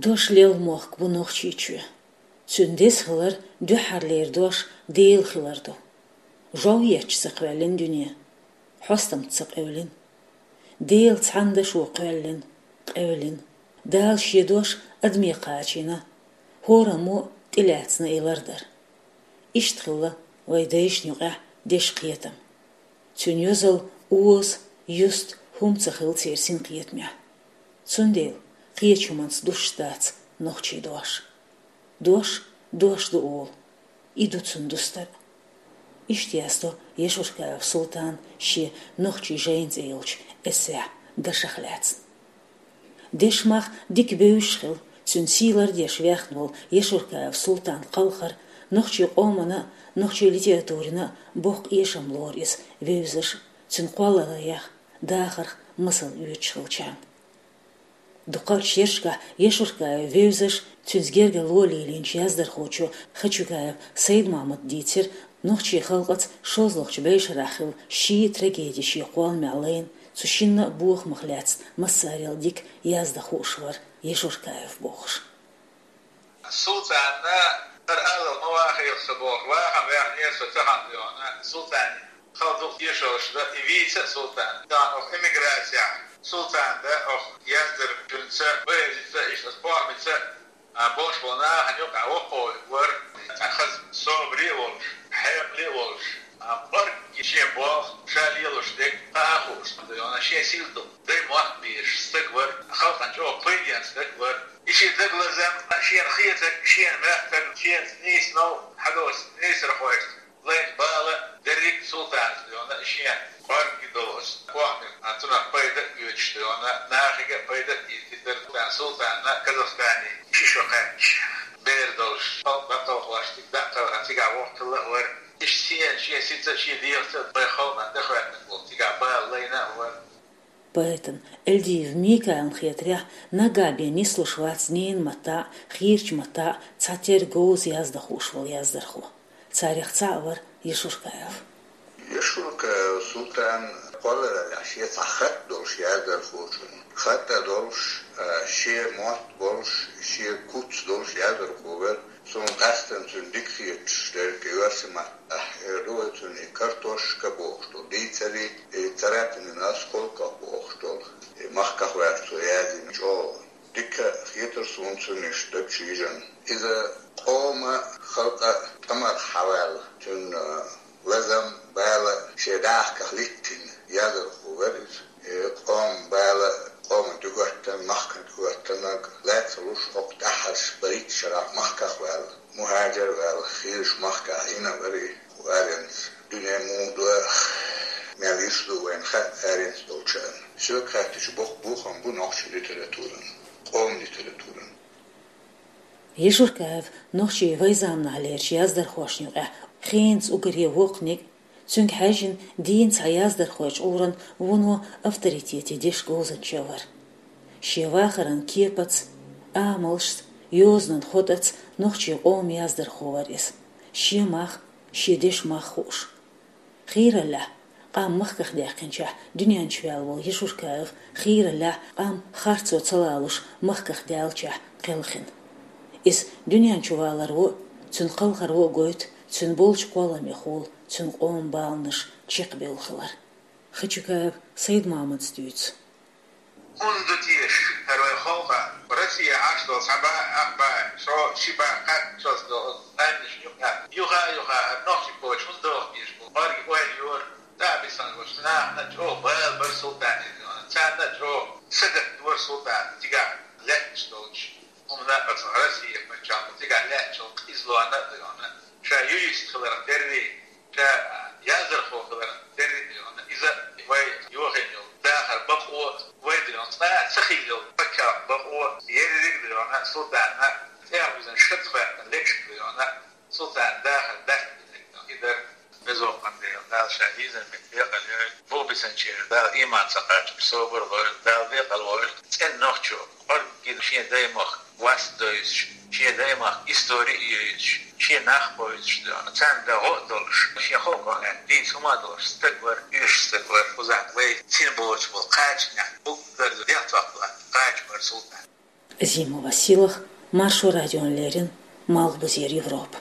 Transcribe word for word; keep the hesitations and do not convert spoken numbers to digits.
Дош лелха мохк бу Нохчийчоь. Цуьнан деза хилар дуьххьарлера дош Дела хилар ду. Жов етташ ца кхоьллина дуьне, хьостамца ца къевлина. Дела цхьана дашо кхоьллина, къевлина. Дала шен дош адаме кхачийна, хӀораммо тӀелаьцна и лардар. Иштта хилла вай дайшна юкъехь дешан кхетам. Цуьнан йозалла оза, юста хӀума ца хилла церан синкхетамехь. Цундела кхечу хӀуманца дусуш дац нохчийн дош. Дош дош ду олу, и ду цунна дустар. Иштта яздо Яшуркаев Султана шен «Нохчийн жайна» цӀе йолчу эссехь дашах лаьцна. Дешан мах дика бевзаш хилла, цуьнан сий лардеш вехна волу Яшуркаев Султан кхалхар нохчийн къомана а, нохчийн литературина а боккха эшам лору иза вевзаш, цуьнан кхоллараллех, дахарх масал оьцуш хиллачарна. Дукхачу шерашкахь Яшуркаев вевзаш, цуьнца гергарло лелийначу яздархочо Хачукаев Сайдмамата дийцира нохчийн халкъаца шолгӀачу бӀешарахь хилла ши трагеди шен кхолламехь лайна, цу шинна а бохамах лаьцна массарел дика яздан хууш вара Яшуркаев бохуш. Султанна хӀара алал ма вахийла со бохуш, вахана ваьхнера со тахана дуьйна. Султанна хала дукха тешаллаш дан и вийца а Султан. Дан оха эмиграцехь Султан дан оха яздархочуьнца, поэзица иштта, аса похьмица а болуш болу нахана юкъахь воккхаве вара, цхьа хаза собаре а волуш, хьекъале а волуш, а, кӀоргге шен болх, ша лелош дерг кхаа а хууш, шен сил ду. Дай мохк безаш стаг вара, халкъана чӀогӀа пайденна стаг вара. И шен дагалазам, шена хетарг, шена моьттарг, шена нийса новкъа хьадоцу нийсархошна лайна бала дерриг а Султанца дуьйна, шен кӀоргге долу оцу похьмех, а, цунах пайда а оьцуш дуьйна, нахе а пайда а дийцира. Султанна Казахстане ши шо кхаьчча, бер долуш, халкъ дӀакхалхош, цига дӀа а кхелхина, цигахь воккха хилла а вара. Иштта шена, шен сица а, шен дегӀаца а вайн халкъана тӀехӀоьттинарг волу цигахь бала лайна а вара. Поэтан Эльдиев Микаилна хетарехь, наггахь бен нислуш вац ненан маттахь а, хийрачу маттахь а цхьатерра говза яздан хууш волу яздархо. Царех цхьаъ вара Яшуркаев. Яшуркаев Султан кхоллараллехь шен цхьа хатта долуш яздархочунна. Хатта долуш, а, шен мотт болуш, шен куц долуш яздархо вара. Суна къаьсттина цуьнан дика хеташ дерг, оьрсийн маттахь эр ду вай цунна и картошка бохуш долу дийцаре, и царапины на осколках бохуш долу, и махках ваьлча цо язйина чӀогӀа. Дика хетара суна цунна иштта даг чу йижина. Иза къоман, халкъан тӀамах хьаваьлла, цуьнан лазам, бала шен дахках литтина яздархо вара иза. Э, къоман бала, къоман дуьхӀоттан, махкан дуьхӀоттаннарг лаьцна луш, хӀокху тӀаьххьарчу бархӀитта шарахь махках ваьлла, мухӀажар ваьлла, хийрачу махкахь йина вара и. Аренца дуьне муха ду, мел йиш ду вайна хаьа аренца долчарна. Соьга хаьттича, боккха бохам бу нохчийн литературан, къоман литературан. Яшуркаев нохчийн вайн заманахьлерчу яздархошна юкъахь хенца уггаре воккханиг, цуьнга хьаьжжина дийна цхьа яздархойчу Ӏуьйранна вуно авторитете деш говзанча вара. Шен вахаран кепаца, амалшца, йозанан хотӀаца нохчийн къоман яздархо вара иза, шен мах, шен дешан мах хууш. Хийраллехь, къам махках даьккхинчохь дуьнен чу ваьлла волу Яшуркаев хийраллехь, къам харцо ца лалуш махках даьллачохь кхелхина. Иза дуьнен чу валаро а, цуьнан кхалхаро а гойту цуьнан болчу кхолламехула цуьнан къоман баланаш чекхбевлла хилар. Хачукаев Сайдмамадас дуьйцу. ХӀунда теша хӀара вайн халкъ, Россия Ӏаш долу цхьа бӀе ах бӀе, шо ши бӀе кхаьччалц долу оцу къаьмнашна юкъа, юха а юха хӀара нохчийн почва хӀунда дохкийша бу? Кхоьллиг ойла йора, дӀа а бисина гуш, нахана чӀогӀа бала бара Султане дуьйна. Царна а чӀогӀа сагатдора Султан цигахь лаьтташ долчу хӀуманна, оцу Россия пачхьалкхо цигахь лаьттачу къизаллонна а дуьйна. Ша юрист хиларх терра, ша яздархо хиларх терра дуьйна. Иза вай йохийна йолу дахар бакъо, вай дуьйна цкъа а ца хилла йолу пачхьалкх бакъо, ерриг дуьйна Султанна тӀехь бизина шац хӀоьттина лекхаш дуьйна. Султан дахар даьхкина и дара. Беза воккханна Дела, Дала ша йийзина меттиг декъал йойла. Бу бисинчеран Дала ийман ца кхаччалц собар лойла, Дала декъал войла. ЦӀена нохчо, кӀорггина шен даймахка вас а девзаш, шен даймахка истори а евзаш, шен нах а бевзаш дуьйна, царна дан гӀо а долуш, шен халкъо лаьтта дийца хӀума а долуш стаг вара, оьшуш стаг вара. Кхузахь вай сина боцуш болу кхачанехь уггар дегӀ токхалла кхача вара Султан. Зима Василах, Маршо радион лерин, Малхбузер Европа.